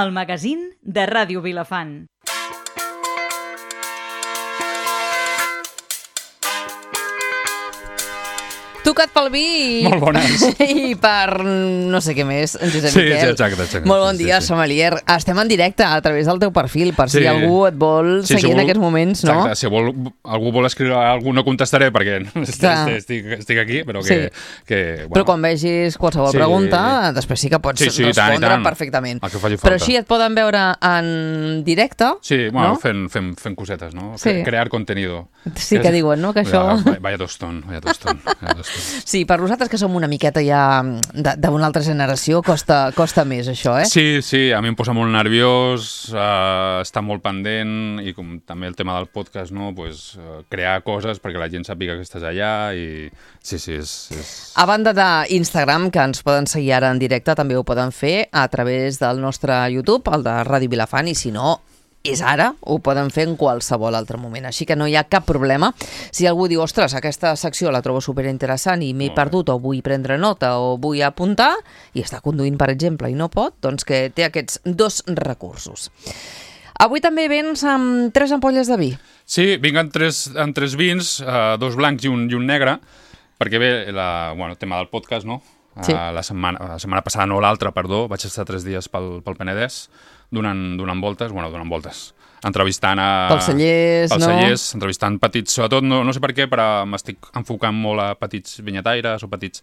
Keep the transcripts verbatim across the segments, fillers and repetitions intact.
el magazín de Ràdio Vilafant. Tocat pel vi i... Molt bones. I per no sé què més, en Josep Sí, Miquel. sí, exacte, exacte. Molt bon Sí, dia, sí, sí. sommelier. Estem en directe a través del teu perfil, per si Sí. algú et vol Sí, si seguir en vol- aquests moments, no? Exacte, si vol, algú vol escriure algú no contestaré perquè Clar. estic, estic aquí, però que... Sí. que bueno, Però quan vegis qualsevol Sí. pregunta, després sí que pots Sí, sí, i tant, i respondre tant. perfectament. El que faci Però falta. així et poden veure en directe, Sí, bueno, no? fent, fent, fent cosetes, no? Sí. Cre- Crear contenido. Sí que diuen, no?, que això... Ja, vaya tostón, vaya tostón. Vaya tostón. Sí, per nosaltres que som una miqueta ja de- d'una altra generació, costa, costa més això, eh? Sí, sí, a mi em posa molt nerviós, uh, està molt pendent i com també el tema del podcast, no? Pues, uh, crear coses perquè la gent sàpiga que estàs allà i sí, sí, és... és... A banda d'Instagram, que ens poden seguir ara en directe, també ho poden fer a través del nostre YouTube, el de Ràdio Vilafant, i si no, és ara, ho poden fer en qualsevol altre moment. Així que no hi ha cap problema. Si algú diu, ostres, aquesta secció la trobo superinteressant i m'he Molt bé. perdut, o vull prendre nota, o vull apuntar, i està conduint, per exemple, i no pot, doncs que té aquests dos recursos. Avui també vens amb tres ampolles de vi. Sí, vinc en tres, en tres vins, uh, dos blancs i un, i un negre, perquè bé, la, bueno, el tema del podcast, no? Sí. Uh, la, setmana, la setmana passada, no l'altra, perdó, vaig estar tres dies pel, pel Penedès, donant, donant voltes, bueno, donant voltes, entrevistant a... Pels cellers, pels no? cellers, entrevistant petits, sobretot, no, no sé per què, però m'estic enfocant molt a petits vinyataires o petits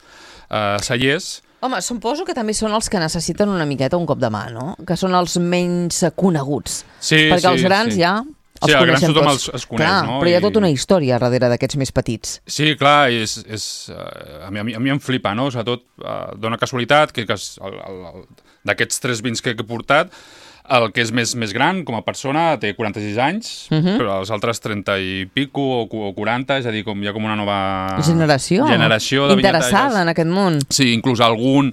uh, cellers. Home, suposo que també són els que necessiten una miqueta un cop de mà, no? Que són els menys coneguts. Sí, Perquè sí, els grans sí. ja els Sí, els grans coneixem tothom tots. els- els coneix, Clar, no? però hi ha I- tota una història darrere d'aquests més petits. Sí, clar, és, és, uh, a, mi, a, mi, a mi em flipa, no? Sobretot, uh, dona casualitat que, que es- el, el, el, d'aquests tres vins que, que he portat, el que és més, més gran com a persona té quaranta-sis anys, uh -huh. però els altres trenta i pico o, cu- o quaranta, és a dir, com, hi ha com una nova... Generació. Generació de Interessada vinyataires. en aquest món. Sí, inclús algun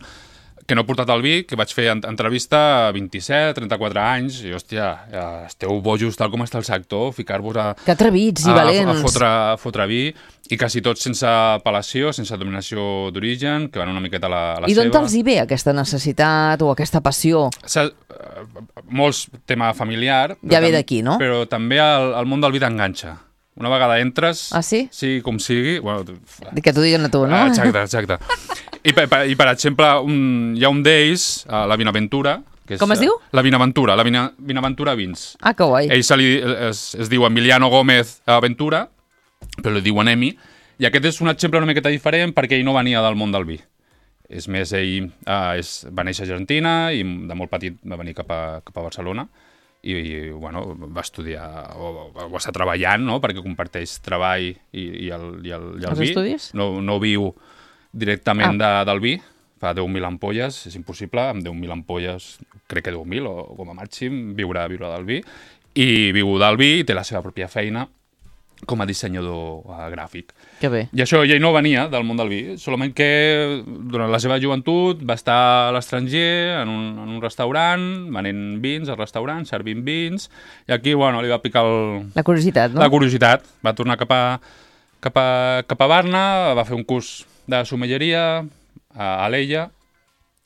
que no he portat el vi, que vaig fer en- entrevista a vint-i-set, trenta-quatre anys, i, hòstia, ja esteu bojos tal com està el sector, ficar-vos a... Que atrevits i a, valents. A fotre, a fotre vi, i quasi tots sense apel·lació, sense dominació d'origen, que van una miqueta a la, a la I d'on seva. te'ls hi ve aquesta necessitat o aquesta passió? S'ha- eh, molts tema familiar. Ja però ve tam- d'aquí, no? Però també el, el món del vi t'enganxa. Una vegada entres... Ah, sí? Sí, com sigui... Bueno, Que t'ho diguen a tu, no? Ah, exacte, exacte. I, per, per, i per exemple, un, hi ha un d'ells, uh, la Vinaventura... Que és, Com es diu? Uh, la Vinaventura, la Vina, Vinaventura Vins. Ah, que guai. Ell se li, es, es diu Emiliano Gómez Aventura, però li diuen Emi, i aquest és un exemple una miqueta diferent perquè ell no venia del món del vi. És més, ell uh, és, va néixer a Argentina i de molt petit va venir cap a, cap a Barcelona i, i bueno, va estudiar o, o està treballant, no?, perquè comparteix treball i, i el, i el, i el Els vi. estudis? No, no viu directament Ah. de, del vi, fa deu mil ampolles, és impossible, amb deu mil ampolles, crec que deu mil o com a màxim, viure, viure del vi, i viu del vi i té la seva pròpia feina com a dissenyador uh, gràfic. Que bé. I això, ell no venia del món del vi, solament que durant la seva joventut va estar a l'estranger, en, un, en un restaurant, venent vins al restaurant, servint vins, i aquí, bueno, li va picar el, La curiositat, no? la curiositat. Va tornar cap a, cap a, cap a Barna, va fer un curs de somelleria a Alella.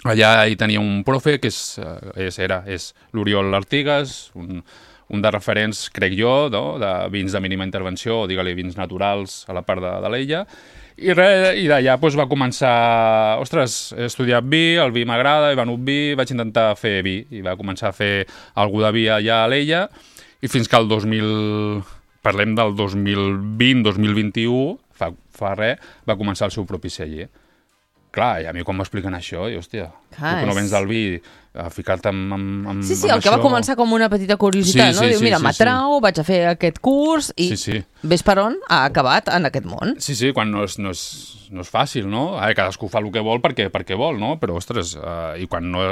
Allà hi tenia un profe, que és, eh, és, era, és l'Oriol Artigas, un, un de referents, crec jo, no? De vins de mínima intervenció, o digue-li vins naturals a la part de, de l'Ella. I, re- i d'allà doncs, va començar, ostres, he estudiat vi, el vi m'agrada, he venut vi, vaig intentar fer vi, i va començar a fer algú de vi allà a l'Ella, i fins que el dos mil... Parlem del dos mil vint, dos mil vint-i-u, fa, fa res, va començar el seu propi celler. Clar, i a mi quan m'expliquen això, i hòstia, Clar, tu que no és- vens del vi, a ficar-te amb, amb, amb Sí, sí, amb el que va això. començar com una petita curiositat, Sí, no? sí, Diu, sí, mira, sí, m'atrau, vaig a fer aquest curs i Sí, sí. ves per on ha acabat en aquest món. Sí, sí, quan no és, no és, no és fàcil, no? Ara, cadascú fa el que vol perquè, perquè vol, no? Però, ostres, uh, i quan no...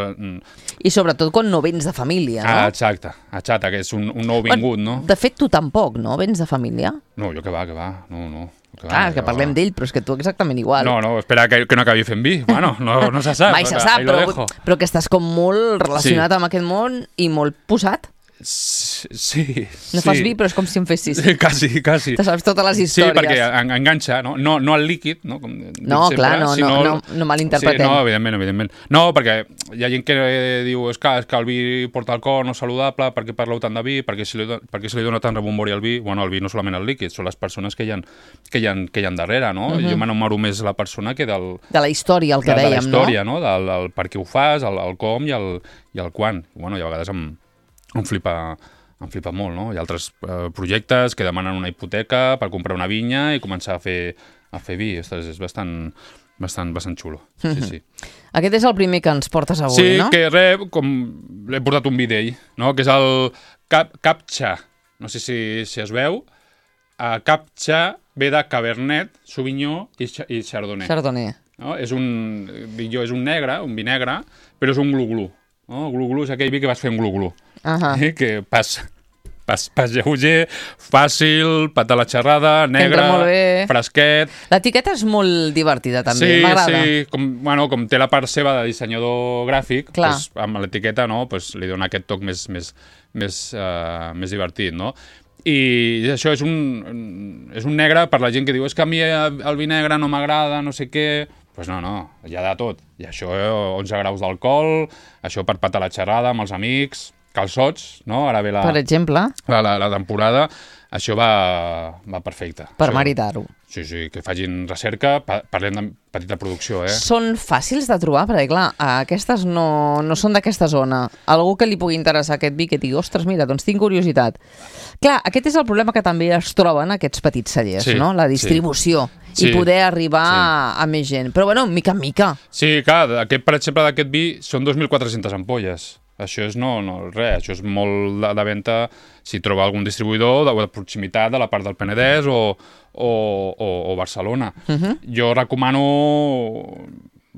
I sobretot quan no vens de família, no? Ah, exacte, exacte, que és un, un nou vingut, no? De fet, tu tampoc, no? Vens de família? No, jo que va, que va, no, no. Que Clar, va, que jo- parlem d'ell, però és que tu exactament igual. No, no, espera que, que no acabi fent vi. Bueno, no, no se sap. Mai se Ahí sap, lo però, dejo. però que estàs com molt relacionat Sí. amb aquest món i molt posat. S- Sí, No sí. fas vi, però és com si en fessis. Sí, quasi, quasi. Te saps totes les Sí, històries. perquè en, enganxa, no? No, no el líquid, no? Com dic No, sempre, clar, no, sinó... no, no, no malinterpretem. Sí, no, evidentment, evidentment. No, perquè hi ha gent que diu és que, és que el vi porta alcohol, no és saludable, per què parleu tant de vi, per què se li, do- per què se li dona tant rebombori al vi? Bueno, el vi no solament el líquid, són les persones que hi ha, que hi ha, que hi ha darrere, no? Uh -huh. Jo m'enamoro més la persona que del... De la història, el que de, dèiem, de la història, no? no? Del, del per què ho fas, el, el com i el, i el quan. I, bueno, i a vegades em, em flipa... em flipa molt, no? Hi ha altres eh, projectes que demanen una hipoteca per comprar una vinya i començar a fer, a fer vi. Ostres, és bastant, bastant, bastant xulo. Sí, sí. Aquest és el primer que ens portes avui, sí, no? que res, com l'he portat un vi d'ell, no? Que és el Cap, Captcha. No sé si, si es veu. Uh, Captcha ve de Cabernet, Sauvignon i, i Chardonnay. Chardonnay. No? És un, dic jo, és un negre, un vi negre, però és un glu-glu. No? Glu-glu és aquell vi que vas fer un glu-glu. Uh -huh. eh? Que pas, pas, pas lleuger, fàcil, pata la xerrada, negre, entra molt bé. fresquet. L'etiqueta és molt divertida, també, Sí, m'agrada. sí, com, bueno, com té la part seva de dissenyador gràfic, Clar. pues, amb l'etiqueta no, pues, li dona aquest toc més, més, més, uh, més divertit, no? I això és un, és un negre per la gent que diu és que a mi el vi negre no m'agrada, no sé què... Doncs pues no, no, hi ha de tot. I això, onze graus d'alcohol, això per patar la xerrada amb els amics, calçots, no? Ara ve la, Per exemple, la, la, la temporada, això va, va perfecte. per Això, maritar-ho. Sí, sí, que facin recerca, pa parlem de petita producció, eh? Són fàcils de trobar, perquè clar, aquestes no, no són d'aquesta zona. Algú que li pugui interessar aquest vi, que digui, ostres, mira, doncs tinc curiositat. Clar, aquest és el problema que també es troben aquests petits cellers, Sí, no? La distribució. Sí. I poder arribar Sí. a, a més gent. Però bueno, mica en mica. Sí, clar, aquest, per exemple, d'aquest vi són dos mil quatre-centes ampolles. Això és no, no res, això és molt de, de venda si troba algun distribuïdor de, de proximitat de la part del Penedès o, o, o, o Barcelona. Uh -huh. Jo recomano...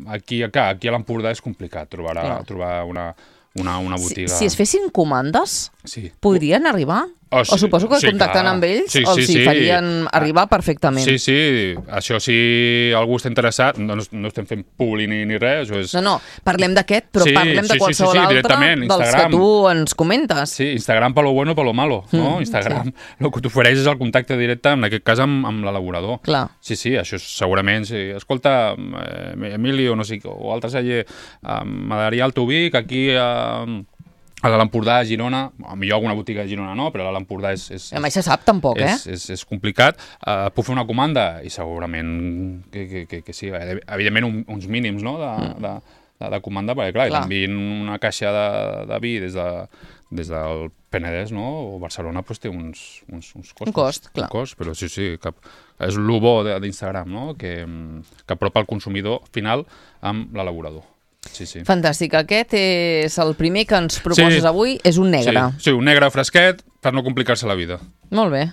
Aquí, aquí a l'Empordà és complicat trobar, a, trobar una, una, una botiga. Si, si es fessin comandes, sí. podrien arribar? Oh, sí. O suposo que Sí, contactant clar. amb ells Sí, els sí, hi sí. farien arribar perfectament. Sí, sí, això si algú està interessat, no, no estem fent publi ni, ni res, això és... No, no, parlem d'aquest, però Sí, parlem sí, de sí, qualsevol sí, sí, altre directament, dels que Instagram. tu ens comentes. Sí, Instagram per lo bueno, per lo malo, no? Mm, Instagram, el que t'ofereix és el contacte directe, en aquest cas amb, amb l'elaborador. Clar. Sí, sí, això és, segurament, sí. Escolta, eh, Emili o no sé, o altre celler, eh, m'agradaria el teu vi, que aquí... Eh, a l'Empordà, a Girona, millor alguna botiga de Girona no, però a l'Empordà és, és, A mai se sap tampoc, eh? és, és, és complicat. Uh, puc fer una comanda? I segurament que, que, que, que sí. Evidentment, un, uns mínims no? de, mm. de, de, de comanda, perquè clar, clar. t'envien una caixa de, de vi des, de, des del Penedès no? O Barcelona pues, té uns, uns, uns costos. Un cost, clar. Un cost, però sí, sí, cap, és el bo d'Instagram, no? que, que apropa el consumidor final amb l'elaborador. Sí, sí. Fantàstic. Aquest és el primer que ens proposes Sí. avui. És un negre. Sí, sí, un negre fresquet per no complicar-se la vida. Molt bé.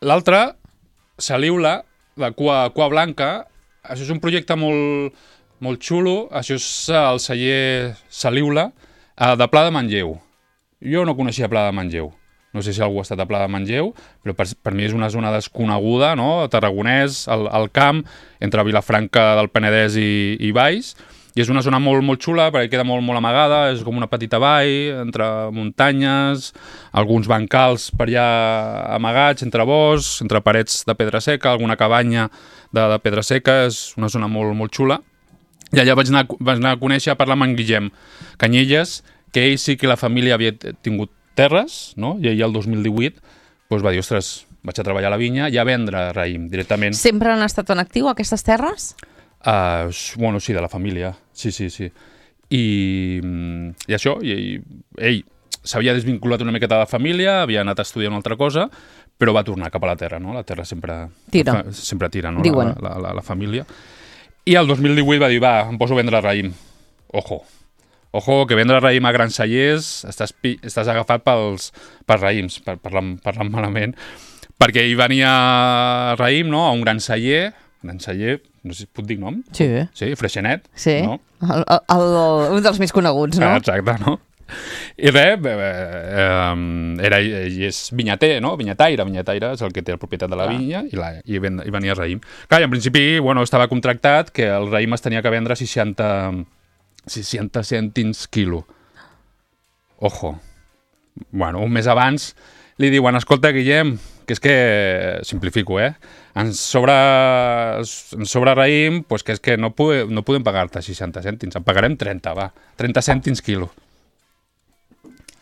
L'altre, Saliula, de cua, cua blanca. Això és un projecte molt, molt xulo. Això és el celler Saliula, de Pla de Manlleu. Jo no coneixia Pla de Manlleu. No sé si algú ha estat a Pla de Manlleu, però per, per mi és una zona desconeguda, no? Tarragonès, el, el camp, entre Vilafranca del Penedès i, i Valls. I és una zona molt, molt xula, perquè queda molt, molt amagada, és com una petita vall, entre muntanyes, alguns bancals per allà amagats, entre boscs, entre parets de pedra seca, alguna cabanya de, de pedra seca, és una zona molt, molt xula. I allà vaig anar, vaig anar a conèixer, a parlar amb en Guillem Canyelles, que ell sí que la família havia tingut terres, no? I ell el dos mil divuit doncs va dir, ostres, vaig a treballar a la vinya i a vendre raïm directament. Sempre han estat en actiu aquestes terres? Uh, bueno, sí, de la família, sí, sí, sí. I, i això, i, i ell s'havia desvinculat una miqueta de la família, havia anat a estudiar una altra cosa, però va tornar cap a la terra, no? La terra sempre tira, fa, sempre tira no? Diuen. La, la, la, la família. I el dos mil divuit va dir, va, em poso a vendre raïm. Ojo, ojo, que vendre raïm a grans cellers estàs, estàs agafat pels, pels raïms, per, parlant, parlant malament, perquè hi venia raïm, no?, a un gran celler, gran celler, no sé si puc dir nom? Sí. Sí, Freixenet. Sí, no? el, el, el, un dels més coneguts, no? Exacte, no? I res, eh, era, ell és vinyater, no? Vinyataire, vinyataire és el que té la propietat de la vinya i, la, i, ven, i venia raïm. Clar, i en principi, bueno, estava contractat que el raïm es tenia que vendre a seixanta cèntims quilo. Ojo. bueno, un mes abans, li diuen, escolta, Guillem, que és que, simplifico, eh, ens sobra, ens sobra raïm, pues que és que no, pode, no podem pagar-te seixanta cèntims, en pagarem trenta, va, trenta cèntims quilo.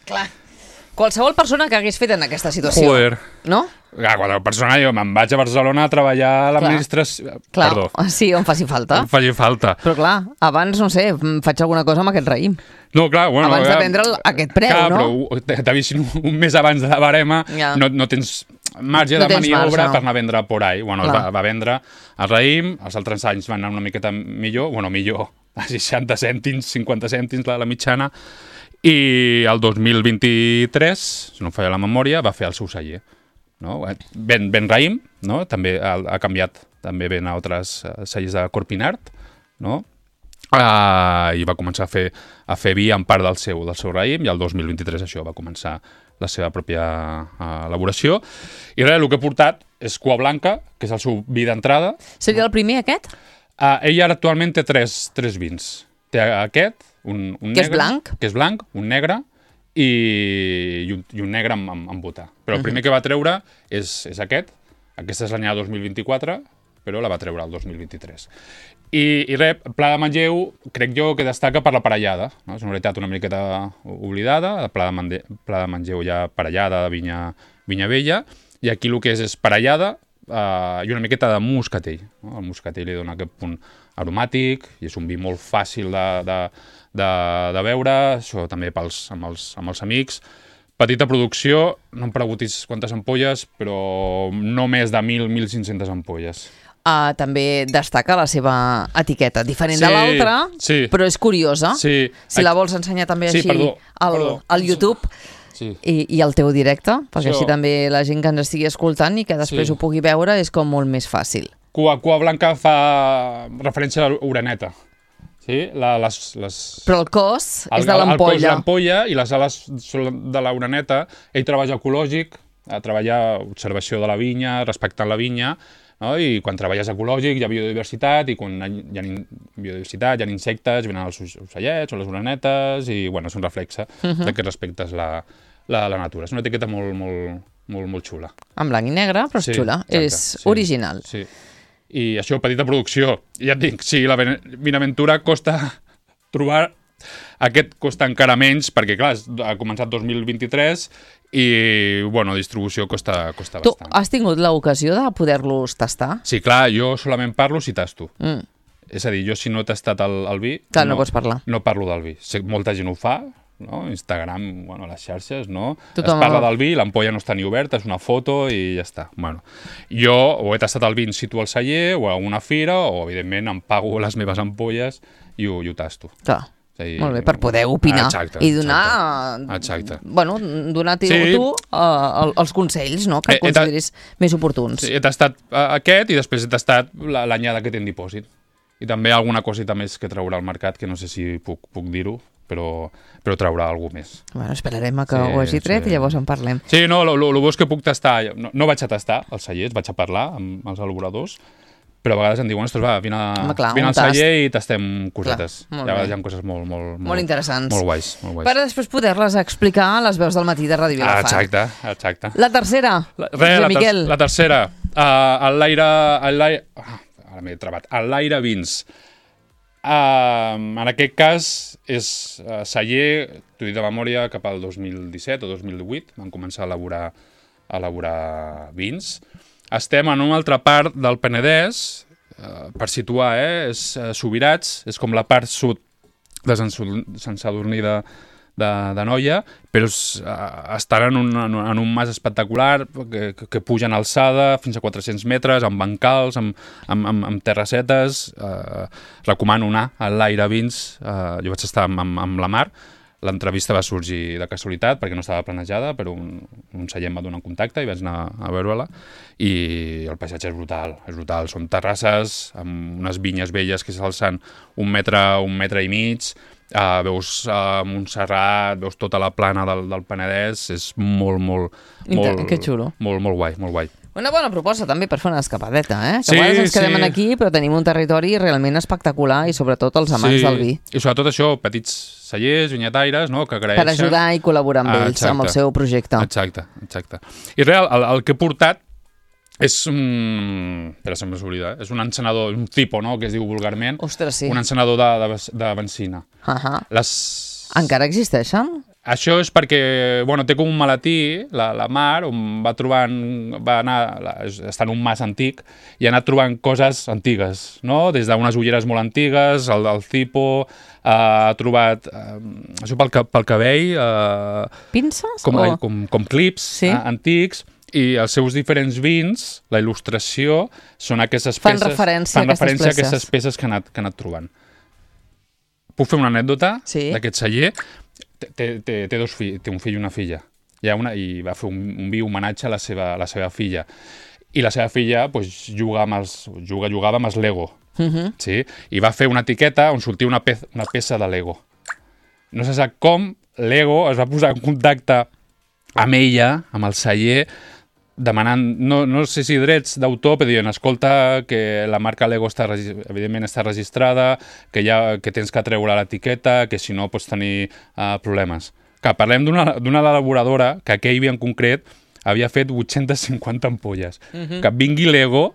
Clar. Qualsevol persona que hagués fet en aquesta situació, Joder. no? Clar, qualsevol persona, jo me'n vaig a Barcelona a treballar a l'administració... Clar, Perdó, sí, on faci falta. em faci falta. Però clar, abans, no sé, faig alguna cosa amb aquest raïm. No, clar, bueno... Abans de eh, prendre aquest preu, clar, no? Però t'avisin un mes abans de la barema, Ja. no, no tens marge No de tens maniobra marge, no. per anar a vendre por ahí. Bueno, es Clar. va, va vendre el raïm, els altres anys van anar una miqueta millor, bueno, millor, a seixanta cèntims, cinquanta cèntims la, la mitjana, i el dos mil vint-i-tres, si no em falla la memòria, va fer el seu celler. No? Ben, ben raïm, no? També ha, ha canviat, també ven a altres uh, cellers de Corpinart, no? Uh, i va començar a fer, a fer vi en part del seu, del seu raïm, i el dos mil vint-i-tres això va començar la seva pròpia uh, elaboració. I res, el que ha portat és Cua Blanca, que és el seu vi d'entrada. Seria el primer, aquest? Uh, ell ara actualment té tres, tres vins. Té aquest, un, un Que negre... és blanc? Que és blanc, un negre i, i, un, i un negre amb, amb, amb botà. Però el primer que va treure és, és aquest. Aquesta és l'anyada dos mil vint-i-quatre, però la va treure el dos mil vint-i-tres. I, i res, Pla de Manlleu, crec jo que destaca per la parellada. No? És una veritat una miqueta oblidada. El Pla de, Mande, Pla de Manlleu ja parellada de vinya, vinya vella. I aquí el que és és parellada uh, i una miqueta de moscatell. No? El moscatell li dona aquest punt aromàtic i és un vi molt fàcil de, de, de, de beure, això també pels, amb, els, amb els amics. Petita producció, no em preguntis quantes ampolles, però no més de mil, mil cinc-centes ampolles. Uh, també destaca la seva etiqueta, diferent Sí, de l'altra, sí. però és curiosa. Sí. Si la vols ensenyar també Sí, així perdó, al, perdó. al YouTube Sí. i, i al teu directe, perquè Això. així també la gent que ens estigui escoltant i que després Sí. ho pugui veure és com molt més fàcil. Cua, Cua Blanca fa referència a l'oreneta. Sí? La, les, les... Però el cos El, és de el cos de l'ampolla. l'ampolla i les ales són de l'oreneta. Ell treballa ecològic, a treballar observació de la vinya, respectant la vinya, no? I quan treballes ecològic hi ha biodiversitat, i quan hi ha biodiversitat, hi ha insectes, venen els ocellets o les orenetes, i bueno, és un reflexe uh -huh. de que respectes la, la, la natura. És una etiqueta molt, molt, molt, molt xula. En blanc i negre, però és Sí, xula. exacte, És sí, original. Sí. I això, petita producció. I ja et dic, sí, la Vinaventura costa trobar... Aquest costa encara menys, perquè, clar, ha començat dos mil vint-i-tres i, bueno, distribució costa, costa Tu bastant. has tingut l'ocasió de poder-los tastar? Sí, clar, jo solament parlo si tasto. Mm. És a dir, jo si no he tastat el, el vi... Clar, no pots parlar. No parlo del vi. Sé que molta gent ho fa, no? Instagram, bueno, les xarxes, no? Tothom... Es parla del vi, l'ampolla no està ni oberta, és una foto i ja està. Bueno, jo o he tastat el vi in situ al celler o a una fira o, evidentment, em pago les meves ampolles i ho, i ho tasto. Clar. Sí, Molt bé, per poder opinar exacte, i donar, exacte. bueno, donar-te Sí. tu uh, els consells, no?, que Eh, eh, consideris més oportuns. Sí, he tastat uh, aquest i després he tastat la- l'anyada que té en dipòsit. I també alguna coseta més que traurà al mercat, que no sé si puc, puc dir-ho, però, però traurà alguna més. Bueno, esperarem a que Sí, ho hagi tret sí. i llavors en parlem. Sí, no, el bo és que puc tastar... No, no vaig a tastar els cellers, vaig a parlar amb els elaboradors, però a vegades em diuen, ostres, va, vine, Home, clar, vine un al tast. celler i tastem cosetes. Clar, molt I a vegades bé. hi ha coses molt, molt, molt, Molt interessants. Molt guais, molt guais. Per després poder-les explicar a les veus del matí de Ràdio Ah, Vilafant. exacte, exacte. La tercera, La, res, Josep la, ter Miquel. la tercera, uh, el l'aire... el l'aire- Ah, ara m'he trabat. El l'aire vins. Uh, en aquest cas és uh, celler, t'ho dic de memòria, cap al dos mil disset o dos mil divuit, van començar a elaborar, a elaborar vins. Estem en una altra part del Penedès, uh, per situar, eh, és uh, Subirats, és com la part sud de Sant, Sant Sadurní de, de, de Noia, però es, uh, estan en un, en, en un mas espectacular que, que, que puja en alçada fins a quatre-cents metres, amb bancals, amb, amb, amb, amb terrassetes. Uh, recomano anar a l'Aire Vins. Uh, jo vaig estar amb, amb, amb la Mar. L'entrevista va sorgir de casualitat perquè no estava planejada, però un, un celler em va donar un contacte i vaig anar a veure-la. I el paisatge és brutal, és brutal. Són terrasses amb unes vinyes velles que s'alcen un metre, un metre i mig. Uh, veus uh, Montserrat, veus tota la plana del, del Penedès, és molt, molt, molt, Que xulo. molt, molt guai, molt guai. Una bona proposta també per fer una escapadeta, eh? Que Sí, a vegades ens quedem sí. aquí, però tenim un territori realment espectacular i sobretot els amants Sí, del vi. i sobretot això, petits cellers, vinyataires, no?, que agraeixen. Per ajudar i col·laborar amb Ah, ells, amb el exacte. seu projecte. Exacte, exacte. I real, el, el que he portat és un... Espera, se'm s'oblida, eh? És un encenedor, un tipo, no?, que es diu vulgarment. Ostres, sí. Un encenedor de, de, de benzina. Uh -huh. Les... Encara existeixen? Això és perquè, bueno, té com un maletí, la, la Mar, on va trobant, va anar, la, està en un mas antic, i ha anat trobant coses antigues, no? Des d'unes ulleres molt antigues, el del cipo, eh, ha trobat, eh, això pel, ca- pel cabell, eh, Pinces? com, o... com, com clips Sí. eh, antics, i els seus diferents vins, la il·lustració, són aquestes Fan peces... referència fan a aquestes referència a peces. aquestes peces que ha anat, que ha anat trobant. Puc fer una anècdota Sí. d'aquest celler? Té, té, té, dos fi, té un fill i una filla. Hi ha una, I va fer un, un viu homenatge a la seva, a la seva filla. I la seva filla pues, juga amb els, juga, jugava amb els Lego. Uh -huh. Sí? I va fer una etiqueta on sortia una, pe una peça de Lego. No se sap com Lego es va posar en contacte amb ella, amb el celler, demanant, no, no sé si drets d'autor, però diuen, escolta, que la marca Lego està, evidentment està registrada, que, ja, que tens que treure l'etiqueta, que si no pots tenir uh, problemes. Clar, parlem d'una elaboradora que aquell vi en concret havia fet vuit-centes cinquanta ampolles. Uh -huh. Que vingui Lego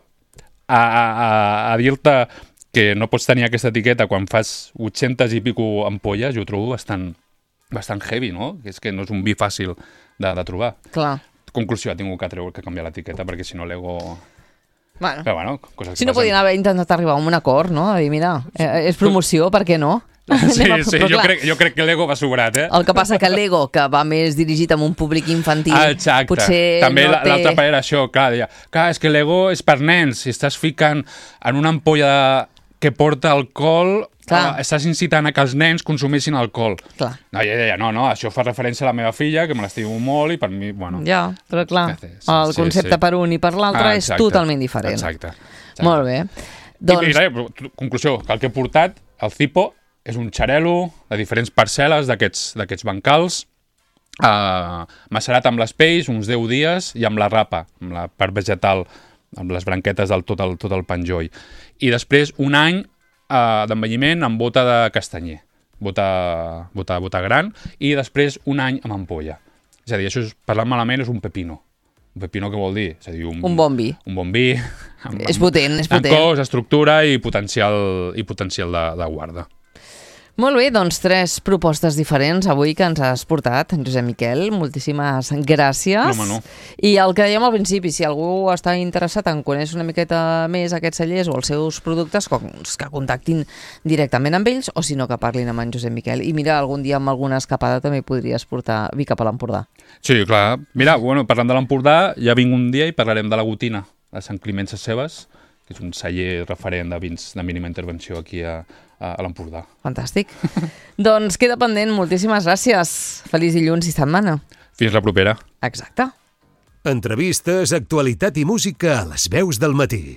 a, a, a dir-te que no pots tenir aquesta etiqueta quan fas vuit-centes i pico ampolles, jo ho trobo bastant, bastant heavy, no? Que és que no és un vi fàcil de, de trobar. Clar. Conclusió, ha tingut que treure que canviar l'etiqueta perquè si no Lego... Bueno, Però bueno, coses que si no passen. podien haver intentat arribar a un acord, no? A dir, mira, eh, és promoció, per què no? Sí, Anem a- sí, però jo clar, crec, jo crec que Lego va sobrat, eh? El que passa que l'Ego, que va més dirigit a un públic infantil, Ah, exacte. potser També no la- té... l'altra part era això, clar, deia, clar, és que Lego és per nens, si estàs ficant en una ampolla que porta alcohol, Clar. eh, estàs incitant a que els nens consumeixin alcohol. Clar. No, ella deia, no, no, això fa referència a la meva filla, que me l'estimo molt i per mi, bueno... Ja, però clar, Sí, sí, el sí, concepte sí. per un i per l'altre Ah, és exacte, totalment diferent. Exacte. exacte. Molt bé. Doncs... I, i Doncs, res, però, conclusió, que el que he portat, el Cipo, és un xarel·lo de diferents parcel·les d'aquests d'aquests bancals, uh, macerat amb les pells uns deu dies i amb la rapa, amb la part vegetal, amb les branquetes del tot el, tot el penjoll. I després un any uh, d'envelliment amb bota de castanyer, bota, bota, bota gran, i després un any amb ampolla. És a dir, això, és, parlant malament, és un pepino. Un pepino què vol dir? És a dir, un, un bon vi. un bon vi, amb, És potent, és amb potent. cos, estructura i potencial, i potencial de, de guarda. Molt bé, doncs tres propostes diferents avui que ens has portat, Josep Miquel. Moltíssimes gràcies. No, home, no. I el que dèiem al principi, si algú està interessat en conèixer una miqueta més aquests cellers o els seus productes, doncs que contactin directament amb ells o si no que parlin amb en Josep Miquel. I mira, algun dia amb alguna escapada també podries portar vi cap a l'Empordà. Sí, clar. Mira, bueno, parlant de l'Empordà, ja vinc un dia i parlarem de la Gotina, de Sant Climent Sescebes, que és un celler referent de vins de mínima intervenció aquí a, a, a l'Empordà. Fantàstic. Doncs queda pendent. Moltíssimes gràcies. Feliç dilluns i setmana. Fins la propera. Exacte. Entrevistes, actualitat i música a les veus del matí.